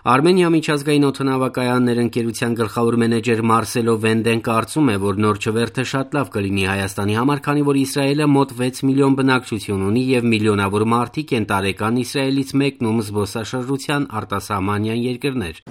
Արմենիա միջազգային օդանավակայաններ ընկերության գլխավոր մենեջեր Մարսելո Վենդեն կարծում է, որ նոր չվերթը շատ լավ կլինի Հայաստանի համար, քանի որ Իսրայելը մոտ 6 միլիոն բնակչություն ունի եւ միլիոնավոր մարդիկ են տարեկան Իսրայելից մեկնում զբոսաշրջության արտասահմանյան երկրներ։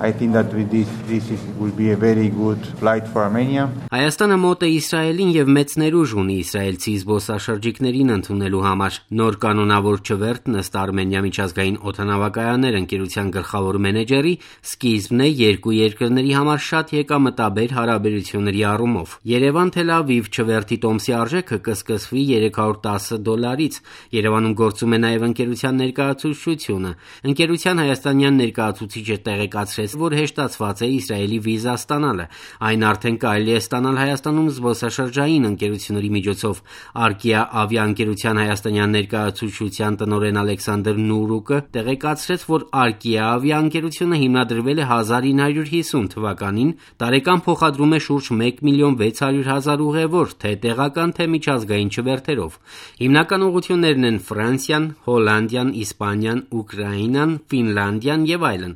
Հայաստանը մոտ է Իսրայելին եւ մեծ ներուժ ունի իսրայելցի զբոսաշրջիկներին ընդունելու համար։ Նոր կանոնավոր չվերթն ըստ Արմենիա միջազգային օդանավակայաններ ընկերության գլխավոր մենեջեր սկիզբն է երկու երկրների համար շատ եկամտաբեր հարաբերությունների առումով։ Երևան-Թել Ավիվ չվերթի տոմսի արժեքը կսկսվի $310։ Երևանում գործում է նաև ընկերության ներկայացուցչությունը։ Ընկերության հայաստանյան ներկայացուցիչը տեղեկացրեց, որ հեշտացված է Իսրայելի վիզա ստանալը։ Այն արդեն կարելի է ստանալ Հայաստանում զբոսաշրջային ընկերությունների միջոցով։ Արկիա ավիաընկերության հայաստանյան ներկայացուցչության տնօրեն Ալեքսանդր Նուրուկը տեղեկացրեց, որ Արկիա ավիաընկերությունը հիմնադրվել է 1950 թվականին, տարեկան փոխադրում է շուրջ 1,600,000 ուղևոր, թե տեղական, թե միջազգային չվերթերով։ Հիմնական ուղղություններն են Ֆրանսիան, Հոլանդիան, Իսպանիան, Ուկրաինան, Ֆինլանդիան եւ այլն։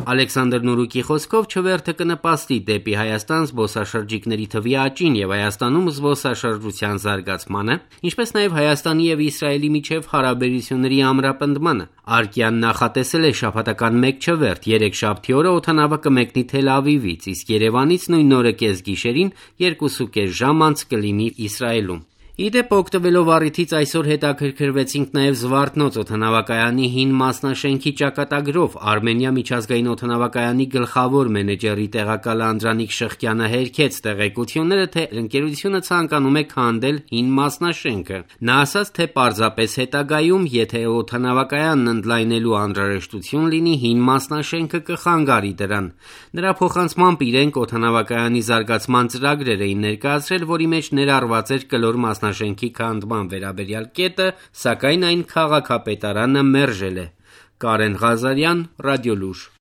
Ալեքսանդր Նուրուկի խոսքով չվերթը կնպաստի դեպի Հայաստան զբոսաշրջիկների թվի աճին եւ Հայաստանում զբոսաշրջության զարգացմանը, ինչպես նաեւ Հայաստանի եւ Իսրայելի միջև հարաբերությունների ամրապնդմանը։ Արկիան նախատեսել է շաբաթական 1 չվերթ, երեքշաբթի օրը օդանավը կմեկնի Թել Ավիվից, իսկ Երևանից նույն օրը կեսգիշերին 2.5 ժամ անց կլինի Իսրայելում։ Իդեպ օգտվելով առիթից այսօր հետաքրքրվեցինք նաև Զվարթնոց օդանավակայանի հին մասնաշենքի ճակատագրով։ Արմենիա միջազգային օդանավակայանի գլխավոր մենեջերի տեղակալ Անդրանիկ Շղկյանը հերքեց տեղեկությունները, թե ընկերությունը ցանկանում է քանդել հին մասնաշենքը։ Նա ասաց, թե պարզապես հետագայում, եթե օդանավակայանն ընդլայնելու անհրաժեշտություն լինի, հին մասնաշենքը կխանգարի դրան։ Նրա փոխանցմամբ իրենք օդանավակայանի զարգացման ծրագրեր էին ներկայացրել, որի մեջ ներառված էր կլոր մասնաշենքի քանդման վերաբերյալ կետը, սակայն այն քաղաքապետարանը մերժել է։ Կարեն Ղազարյան, Ռադիոլուր։